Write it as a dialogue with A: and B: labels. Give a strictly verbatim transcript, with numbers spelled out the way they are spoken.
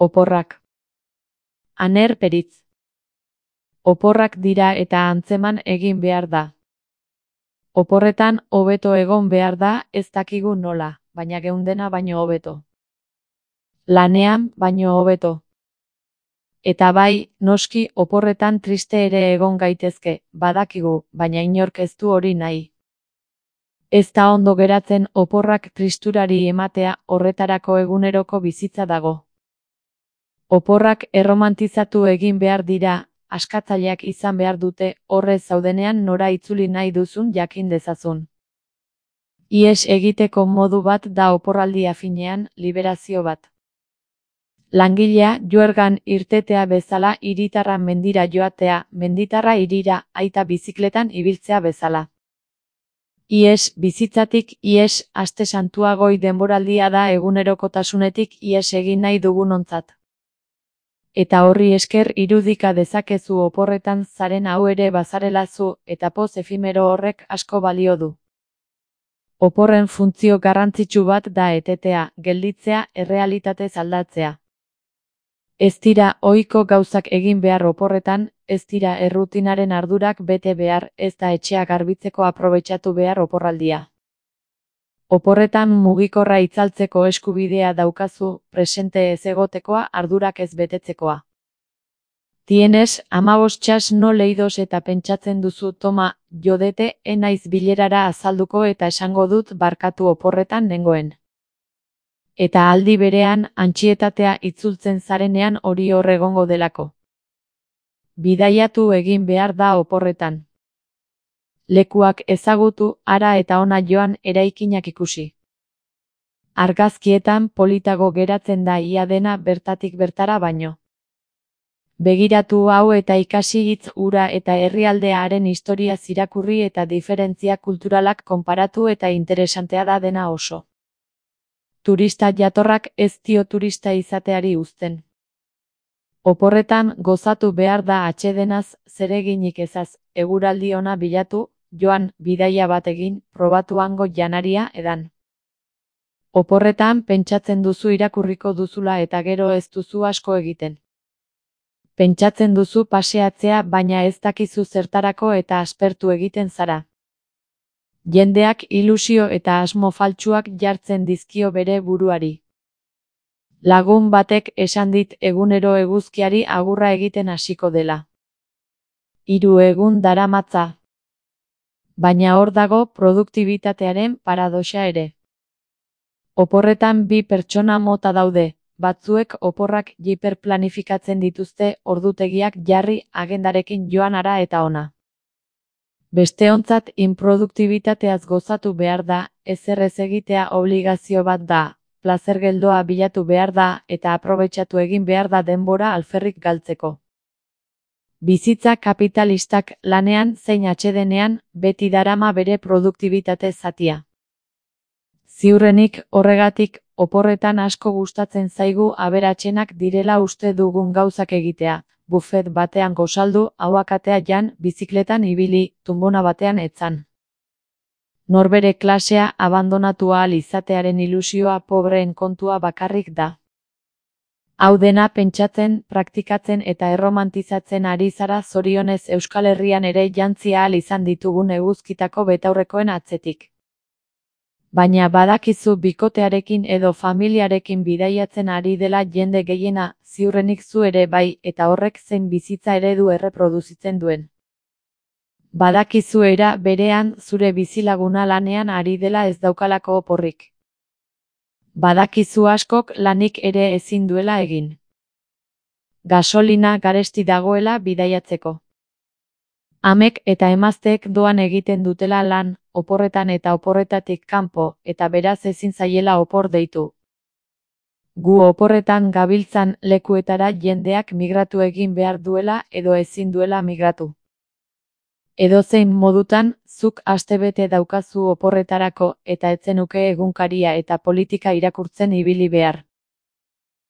A: Oporrak. Aner peritz. Oporrak dira eta antzeman egin behar da. Oporretan hobeto egon behar da, ez dakigu nola, baina geundena baino hobeto. Lanean baino hobeto. Eta bai, noski oporretan triste ere egon gaitezke, badakigu, baina inork ez du hori nahi. Ez da ondo geratzen oporrak tristurari ematea, horretarako eguneroko bizitza dago. Oporrak erromantizatu egin behar dira, askatzaileak izan behar dute, horrez zaudenean nora itzuli nahi duzun jakin dezazun. Ihes egiteko modu bat da oporraldia finean, liberazio bat. Langilea juergan irtetea bezala hiritarra mendira joatea, menditarra hirira, aita bizikletan ibiltzea bezala. Ihes bizitzatik ihes aste santua goi denboraldia da egunerokotasunetik ihes egin nahi dugunontzat. Eta horri esker irudika dezakezu oporretan zaren hau ere bazarela zu, eta poz efimero horrek asko balio du. Oporren funtzio garrantzitsu bat da etetea, gelditzea, errealitatez aldatzea. Ez dira ohiko gauzak egin behar oporretan, ez dira errutinaren ardurak bete behar, ez da etxea garbitzeko aprobetxatu behar oporraldia. Oporretan mugikorra itzaltzeko eskubidea daukazu, presente ez egotekoa, ardurak ez betetzekoa. Tienes, hamabost txas no leidos eta pentsatzen duzu toma, jodete, enaiz bilerara azalduko eta esango dut barkatu oporretan nengoen. Eta aldi berean, antsietatea itzultzen zarenean hori hor egongo delako. Bidaiatu egin behar da oporretan. Lekuak ezagutu, ara eta ona joan eraikinak ikusi. Argazkietan politago geratzen da ia dena bertatik bertara baino. Begiratu hau eta ikasi hitz hura eta herrialdearen historia irakurri eta diferentzia kulturalak konparatu eta interesantea da dena oso. Turista jatorrak ez dio turista izateari uzten. Oporretan gozatu behar da atsedenaz, zereginik ezaz, eguraldi ona bilatu, joan, bidaia bat egin, probatu hango janaria edan. Oporretan pentsatzen duzu irakurriko duzula eta gero ez duzu asko egiten. Pentsatzen duzu paseatzea baina ez dakizu zertarako eta aspertu egiten zara. Jendeak ilusio eta asmo faltsuak jartzen dizkio bere buruari. Lagun batek esan dit egunero eguzkiari agurra egiten hasiko dela. Hiru egun daramatza. Baina hor dago produktibitatearen paradoxa ere. Oporretan bi pertsona mota daude, batzuek oporrak hiperplanifikatzen dituzte ordutegiak jarri agendarekin joan ara eta ona. Besteontzat inproduktibitateaz gozatu behar da, ezer ez egitea obligazio bat da, plazer geldoa bilatu behar da eta aprobetxatu egin behar da denbora alferrik galtzeko. Bizitza kapitalistak lanean zein atsedenean beti darama bere produktibitate zatia. Ziurrenik horregatik oporretan asko gustatzen zaigu aberatsenak direla uste dugun gauzak egitea, bufet batean gozaldu, ahuakatea jan, bizikletan ibili, tunbona batean etzan. Norbere klasea abandonatu ahal izatearen ilusioa pobreen kontua bakarrik da. Hau dena pentsatzen, praktikatzen eta erromantizatzen ari zara zorionez Euskal Herrian ere jantzi ahal izan ditugun eguzkitako betaurrekoen atzetik. Baina badakizu bikotearekin edo familiarekin bidaiatzen ari dela jende gehiena, ziurrenik zu ere bai, eta horrek zein bizitza eredu erreproduzitzen duen. Badakizu era berean zure bizilaguna lanean ari dela ez daukalako oporrik. Badakizu askok lanik ere ezin duela egin. Gasolina garesti dagoela bidaiatzeko. Amek eta emazteek doan egiten dutela lan, oporretan eta oporretatik kanpo, eta beraz ezin zaiela opor deitu. Gu oporretan gabiltzan lekuetara jendeak migratu egin behar duela edo ezin duela migratu. Edozein modutan, zuk astebete daukazu oporretarako eta etzenuke egunkaria eta politika irakurtzen ibili behar.